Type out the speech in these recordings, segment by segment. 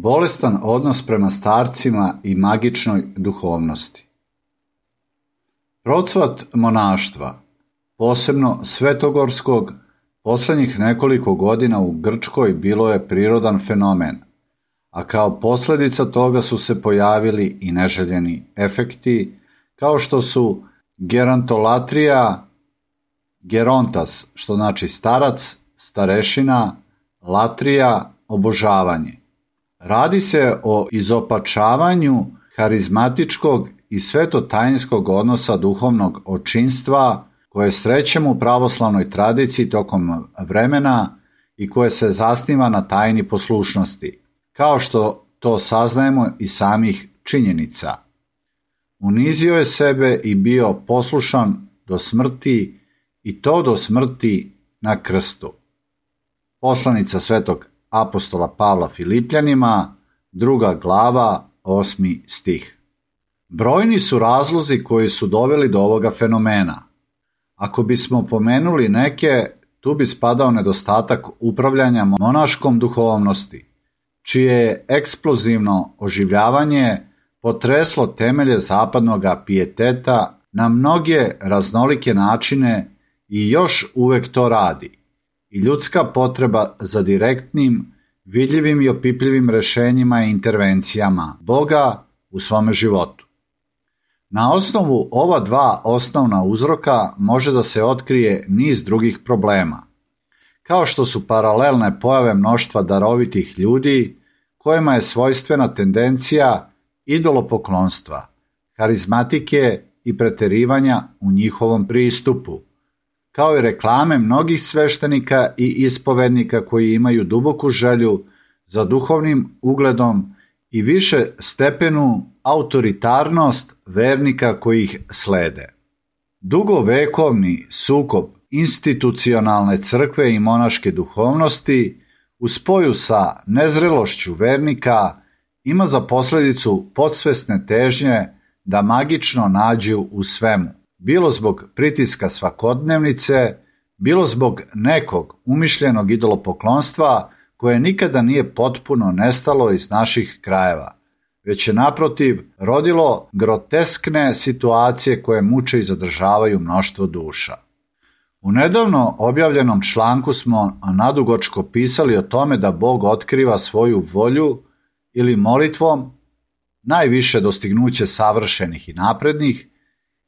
Bolestan odnos prema starcima i magičnoj duhovnosti. Procvat monaštva, posebno svetogorskog, posljednjih nekoliko godina u Grčkoj bilo je prirodan fenomen, a kao posljedica toga su se pojavili i neželjeni efekti, kao što su gerontolatrija, gerontas, što znači starac, starešina, latrija, obožavanje. Radi se o izopačavanju harizmatičkog i svetotajinskog odnosa duhovnog očinstva koje srećemo u pravoslavnoj tradiciji tokom vremena i koje se zasniva na tajni poslušnosti, kao što to saznajemo iz samih činjenica. Unizio je sebe i bio poslušan do smrti, i to do smrti na krstu. Poslanica svetog apostola Pavla Filipljanima, 2. glava, 8. stih. Brojni su razlozi koji su doveli do ovoga fenomena. Ako bismo pomenuli neke, tu bi spadao nedostatak upravljanja monaškom duhovnosti, čije je eksplozivno oživljavanje potreslo temelje zapadnog pijeteta na mnoge raznolike načine i još uvek to radi. I ljudska potreba za direktnim, vidljivim i opipljivim rešenjima i intervencijama Boga u svome životu. Na osnovu ova dva osnovna uzroka može da se otkrije niz drugih problema, kao što su paralelne pojave mnoštva darovitih ljudi kojima je svojstvena tendencija idolopoklonstva, harizmatike i preterivanja u njihovom pristupu, kao i reklame mnogih sveštenika i ispovednika koji imaju duboku želju za duhovnim ugledom i više stepenu autoritarnost vernika koji ih slede. Dugovekovni sukob institucionalne crkve i monaške duhovnosti u spoju sa nezrelošću vernika ima za posljedicu podsvesne težnje da magično nađu u svemu, bilo zbog pritiska svakodnevnice, bilo zbog nekog umišljenog idolopoklonstva koje nikada nije potpuno nestalo iz naših krajeva, već je naprotiv rodilo groteskne situacije koje muče i zadržavaju mnoštvo duša. U nedavno objavljenom članku smo nadugačko pisali o tome da Bog otkriva svoju volju ili molitvom, najviše dostignuće savršenih i naprednih,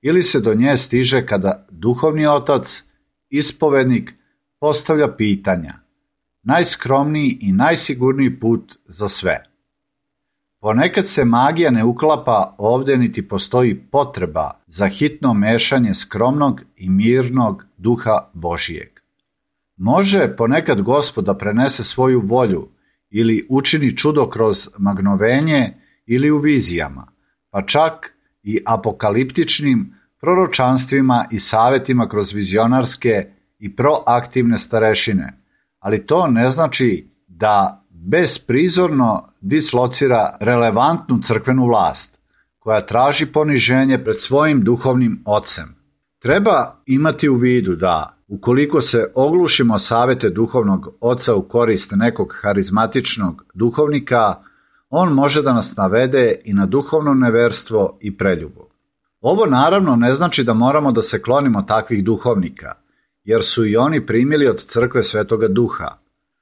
ili se do nje stiže kada duhovni otac, ispovednik, postavlja pitanja, najskromniji i najsigurniji put za sve. Ponekad se magija ne uklapa ovdje niti postoji potreba za hitno mešanje skromnog i mirnog duha Božijeg. Može ponekad Gospod da prenese svoju volju ili učini čudo kroz magnovenje ili u vizijama, pa čak i apokaliptičnim proročanstvima i savjetima kroz vizionarske i proaktivne starešine, ali to ne znači da besprizorno dislocira relevantnu crkvenu vlast, koja traži poniženje pred svojim duhovnim ocem. Treba imati u vidu da, ukoliko se oglušimo savjete duhovnog oca u korist nekog harizmatičnog duhovnika, on može da nas navede i na duhovno neverstvo i preljubu. Ovo naravno ne znači da moramo da se klonimo takvih duhovnika, jer su i oni primili od crkve Svetoga Duha,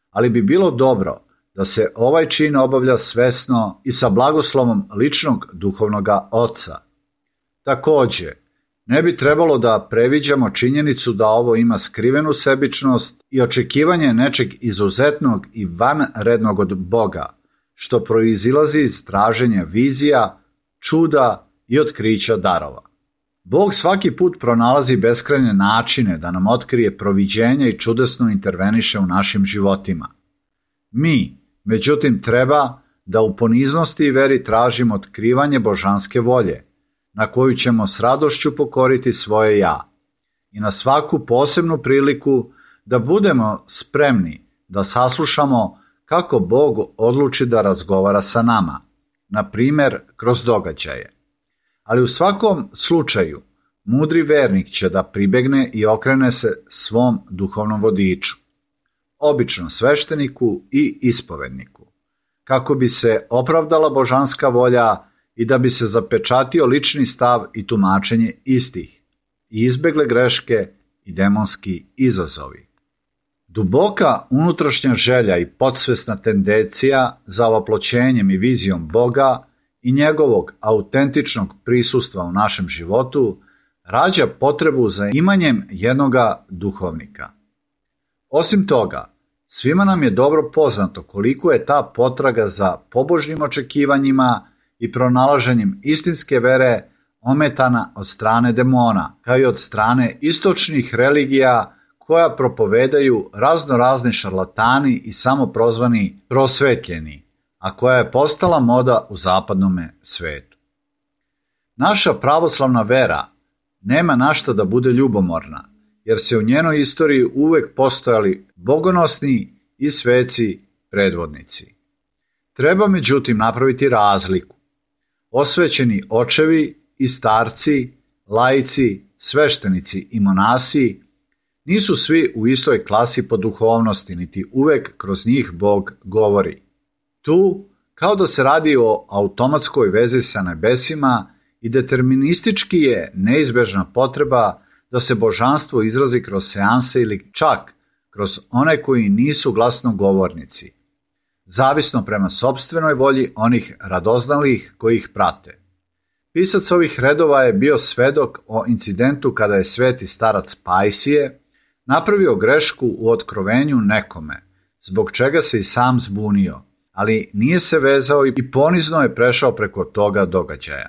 ali bi bilo dobro da se ovaj čin obavlja svesno i sa blagoslovom ličnog duhovnoga oca. Također, ne bi trebalo da previđamo činjenicu da ovo ima skrivenu sebičnost i očekivanje nečeg izuzetnog i vanrednog od Boga, što proizilazi iz traženja vizija, čuda i otkrića darova. Bog svaki put pronalazi beskrajne načine da nam otkrije proviđenje i čudesno interveniše u našim životima. Mi, međutim, treba da u poniznosti i veri tražimo otkrivanje božanske volje, na koju ćemo s radošću pokoriti svoje ja, i na svaku posebnu priliku da budemo spremni da saslušamo kako Bog odluči da razgovara sa nama, na primjer kroz događaje. Ali u svakom slučaju, mudri vernik će da pribegne i okrene se svom duhovnom vodiču, obično svešteniku i ispovedniku, kako bi se opravdala božanska volja i da bi se zapečatio lični stav i tumačenje istih i izbegle greške i demonski izazovi. Duboka unutrašnja želja i podsvesna tendencija za ovoploćenjem i vizijom Boga i njegovog autentičnog prisustva u našem životu rađa potrebu za imanjem jednoga duhovnika. Osim toga, svima nam je dobro poznato koliko je ta potraga za pobožnim očekivanjima i pronalaženjem istinske vere ometana od strane demona, kao i od strane istočnih religija koja propovedaju raznorazni šarlatani i samoprozvani prosvetljeni, a koja je postala moda u zapadnome svetu. Naša pravoslavna vera nema na šta da bude ljubomorna, jer se u njenoj istoriji uvek postojali bogonosni i sveci predvodnici. Treba međutim napraviti razliku. Osvećeni očevi i starci, laici, sveštenici i monasi nisu svi u istoj klasi po duhovnosti, niti uvek kroz njih Bog govori. Tu, kao da se radi o automatskoj vezi sa nebesima, i deterministički je neizbežna potreba da se božanstvo izrazi kroz seanse ili čak kroz one koji nisu glasnogovornici, zavisno prema sopstvenoj volji onih radoznalih koji ih prate. Pisac ovih redova je bio svedok o incidentu kada je sveti starac Pajsije napravio grešku u otkrovenju nekome, zbog čega se i sam zbunio, ali nije se vezao i ponizno je prešao preko toga događaja.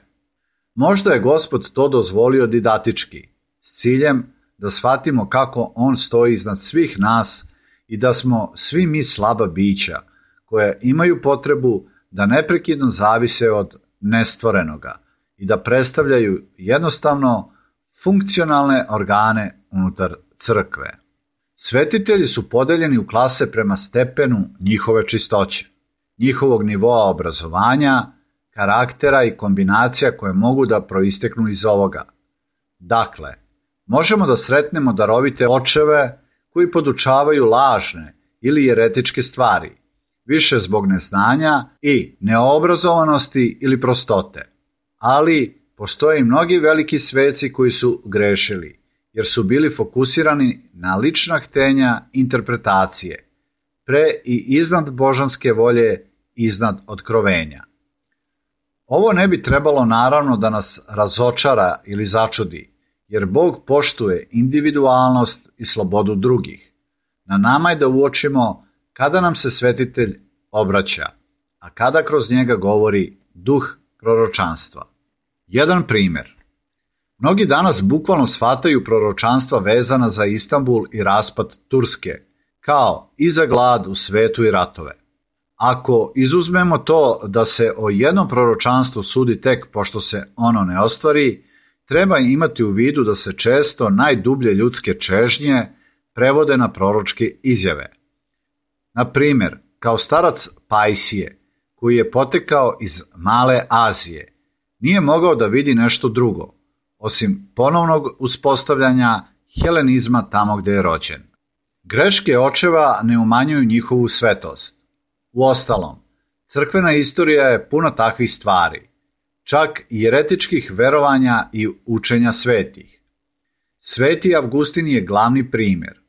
Možda je Gospod to dozvolio didaktički, s ciljem da shvatimo kako on stoji iznad svih nas i da smo svi mi slaba bića koje imaju potrebu da neprekidno zavise od nestvorenoga i da predstavljaju jednostavno funkcionalne organe unutar crkve. Svetitelji su podeljeni u klase prema stepenu njihove čistoće, njihovog nivoa obrazovanja, karaktera i kombinacija koje mogu da proisteknu iz ovoga. Dakle, možemo da sretnemo darovite očeve koji podučavaju lažne ili jeretičke stvari, više zbog neznanja i neobrazovanosti ili prostote. Ali postoje i mnogi veliki sveci koji su grešili, jer su bili fokusirani na lična htenja interpretacije, pre i iznad božanske volje, iznad otkrovenja. Ovo ne bi trebalo naravno da nas razočara ili začudi, jer Bog poštuje individualnost i slobodu drugih. Na nama je da uočimo kada nam se svetitelj obraća, a kada kroz njega govori duh proročanstva. Jedan primjer. Mnogi danas bukvalno shvataju proročanstva vezana za Istanbul i raspad Turske, kao i za glad u svetu i ratove. Ako izuzmemo to da se o jednom proročanstvu sudi tek pošto se ono ne ostvari, treba imati u vidu da se često najdublje ljudske čežnje prevode na proročke izjave. Na primjer, kao starac Pajsije, koji je potekao iz Male Azije, nije mogao da vidi nešto drugo, osim ponovnog uspostavljanja helenizma tamo gde je rođen. Greške očeva ne umanjuju njihovu svetost. Uostalom, crkvena istorija je puna takvih stvari, čak i jeretičkih verovanja i učenja svetih. Sveti Avgustin je glavni primjer.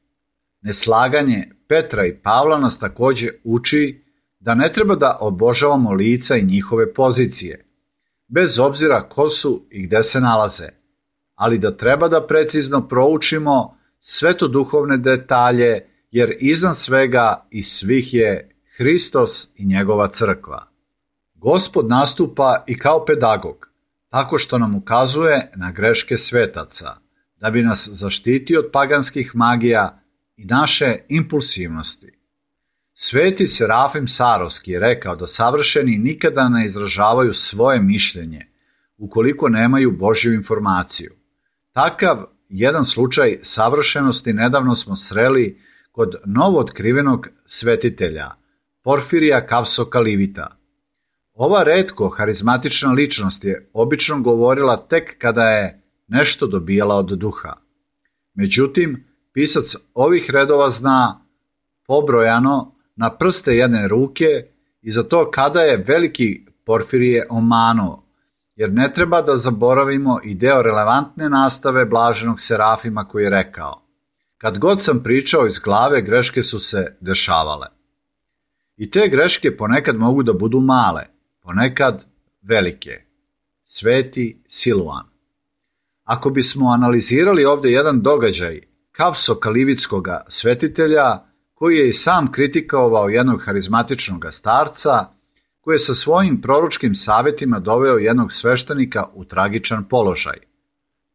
Neslaganje Petra i Pavla nas takođe uči da ne treba da obožavamo lica i njihove pozicije, bez obzira ko su i gde se nalaze, ali da treba da precizno proučimo svetoduhovne detalje, jer iznad svega i svih je Hristos i njegova crkva. Gospod nastupa i kao pedagog, tako što nam ukazuje na greške svetaca, da bi nas zaštitio od paganskih magija i naše impulsivnosti. Sveti Serafim Sarovski je rekao da savršeni nikada ne izražavaju svoje mišljenje, ukoliko nemaju Božju informaciju. Takav jedan slučaj savršenosti nedavno smo sreli kod novootkrivenog svetitelja, Porfirija Kavso-Kalivita. Ova retko harizmatična ličnost je obično govorila tek kada je nešto dobijala od duha. Međutim, pisac ovih redova zna pobrojano na prste jedne ruke i za to kada je veliki Porfirije omanuo, jer ne treba da zaboravimo i deo relevantne nastave blaženog Serafima koji je rekao: kad god sam pričao iz glave, greške su se dešavale. I te greške ponekad mogu da budu male, ponekad velike. Sveti Siluan. Ako bismo analizirali ovdje jedan događaj Kavso-Kalivitskog svetitelja, koji je i sam kritikovao jednog harizmatičnog starca, koji je sa svojim proročkim savjetima doveo jednog sveštenika u tragičan položaj.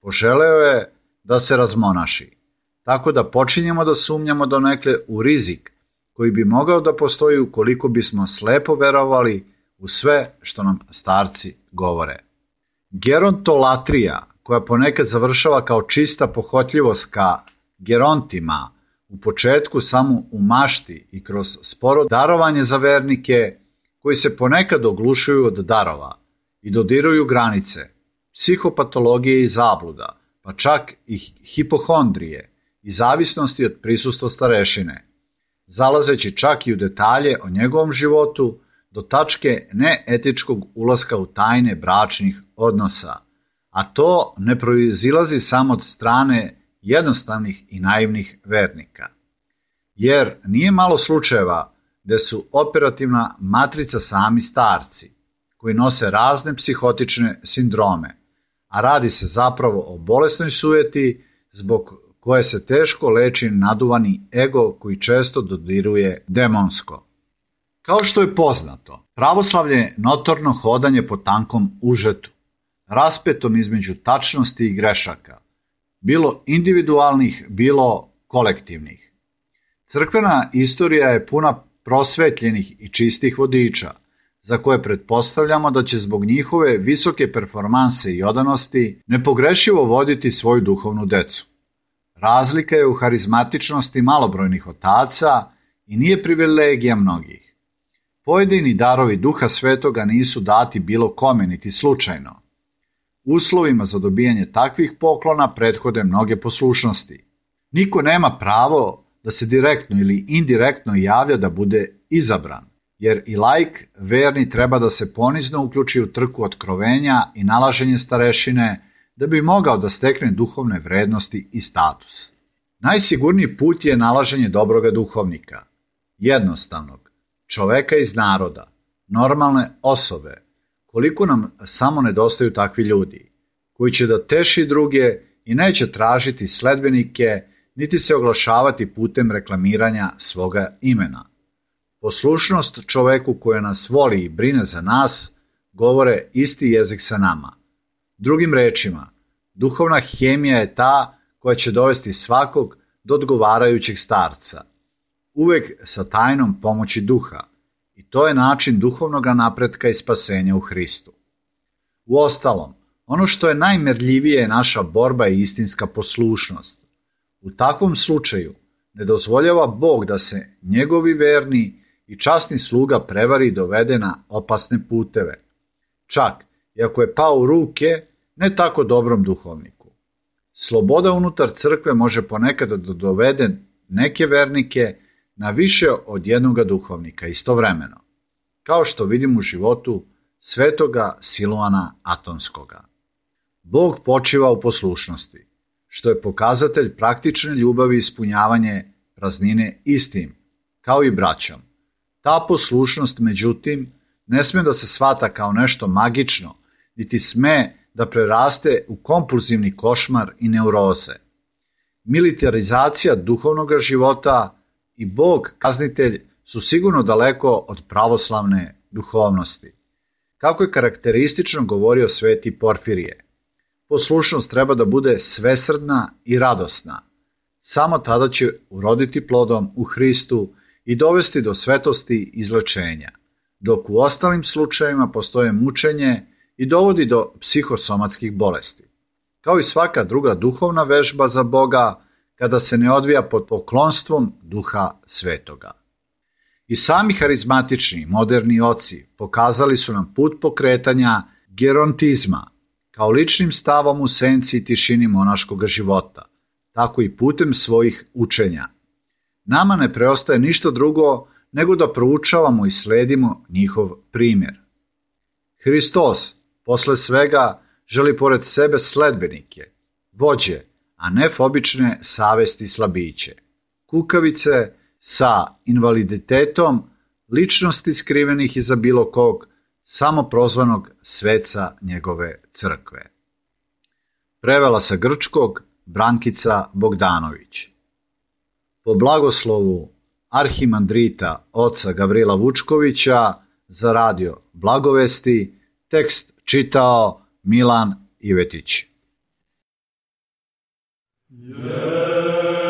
Poželeo je da se razmonaši, tako da počinjemo da sumnjamo donekle u rizik koji bi mogao da postoji ukoliko bismo slepo verovali u sve što nam starci govore. Gerontolatrija, koja ponekad završava kao čista pohotljivost ka gerontima, u početku samo u mašti i kroz sporo darovanje za vernike, koji se ponekad oglušuju od darova i dodiruju granice, psihopatologije i zabluda, pa čak i hipohondrije i zavisnosti od prisustva starešine, zalazeći čak i u detalje o njegovom životu do tačke neetičkog ulaska u tajne bračnih odnosa, a to ne proizilazi samo od strane jednostavnih i naivnih vernika. Jer nije malo slučajeva gde su operativna matrica sami starci, koji nose razne psihotične sindrome, a radi se zapravo o bolesnoj sujeti zbog koje se teško leči naduvani ego koji često dodiruje demonsko. Kao što je poznato, pravoslavlje je notorno hodanje po tankom užetu, raspetom između tačnosti i grešaka, bilo individualnih, bilo kolektivnih. Crkvena istorija je puna prosvetljenih i čistih vodiča, za koje pretpostavljamo da će zbog njihove visoke performanse i odanosti nepogrešivo voditi svoju duhovnu decu. Razlika je u harizmatičnosti malobrojnih otaca i nije privilegija mnogih. Pojedini darovi Duha Svetoga nisu dati bilo kome niti slučajno. Uslovima za dobijanje takvih poklona prethode mnoge poslušnosti. Niko nema pravo da se direktno ili indirektno javlja da bude izabran, jer i laik verni treba da se ponizno uključi u trku otkrovenja i nalaženje starešine da bi mogao da stekne duhovne vrednosti i status. Najsigurniji put je nalaženje dobroga duhovnika, jednostavnog, čoveka iz naroda, normalne osobe, koliko nam samo nedostaju takvi ljudi, koji će da teši druge i neće tražiti sledbenike, niti se oglašavati putem reklamiranja svoga imena. Poslušnost čoveku koji nas voli i brine za nas, govore isti jezik sa nama. Drugim rečima, duhovna hemija je ta koja će dovesti svakog do odgovarajućeg starca, uvek sa tajnom pomoći duha, i to je način duhovnog napretka i spasenja u Hristu. Uostalom, ono što je najmerljivije je naša borba i istinska poslušnost. U takvom slučaju ne dozvoljava Bog da se njegovi verni i časni sluga prevari i dovede na opasne puteve, čak i ako je pao u ruke ne tako dobrom duhovniku. Sloboda unutar crkve može ponekad da dovede neke vernike na više od jednoga duhovnika istovremeno, kao što vidimo u životu svetoga Siluana Atonskoga. Bog počiva u poslušnosti, što je pokazatelj praktične ljubavi i ispunjavanje praznine istim, kao i braćom. Ta poslušnost, međutim, ne sme da se shvata kao nešto magično, niti sme da preraste u kompulzivni košmar i neuroze. Militarizacija duhovnog života i Bog, kaznitelj, su sigurno daleko od pravoslavne duhovnosti. Kako je karakteristično govorio sveti Porfirije, poslušnost treba da bude svesrdna i radosna. Samo tada će uroditi plodom u Hristu i dovesti do svetosti i izlečenja, dok u ostalim slučajevima postoje mučenje i dovodi do psihosomatskih bolesti. Kao i svaka druga duhovna vežba za Boga, kada se ne odvija pod poklonstvom Duha Svetoga. I sami harizmatični moderni oci pokazali su nam put pokretanja gerontizma, kao ličnim stavom u senci i tišini monaškog života, tako i putem svojih učenja. Nama ne preostaje ništa drugo nego da proučavamo i sledimo njihov primjer. Hristos, posle svega, želi pored sebe sledbenike, vođe, a ne fobične savesti slabiće, kukavice sa invaliditetom, ličnosti skrivenih iza bilo kog, samoprozvanog sveca njegove crkve. Prevela sa grčkog Brankica Bogdanović. Po blagoslovu arhimandrita oca Gavrila Vučkovića za radio Blagovesti, tekst čitao Milan Ivetić. Yeah.